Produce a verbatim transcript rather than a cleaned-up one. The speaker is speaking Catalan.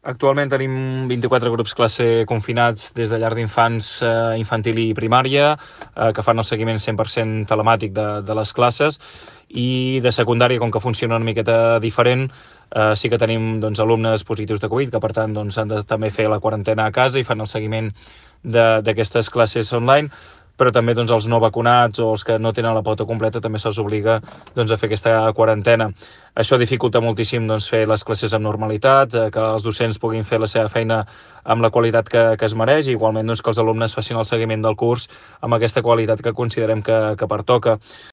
Actualment tenim vint-i-quatre grups classe confinats des de llar d'infants, eh, infantil i primària, eh, que fan el seguiment cent per cent telemàtic de, de les classes, i de secundària, com que funciona una miqueta diferent, eh, sí que tenim doncs, alumnes positius de Covid, que per tant doncs, han de també fer la quarantena a casa i fan el seguiment d'aquestes classes online, però també doncs, els no vacunats o els que no tenen la pauta completa també se'ls obliga doncs, a fer aquesta quarantena. Això dificulta moltíssim doncs, fer les classes amb normalitat, eh, que els docents puguin fer la seva feina amb la qualitat que, que es mereix, i igualment doncs, que els alumnes facin el seguiment del curs amb aquesta qualitat que considerem que, que pertoca.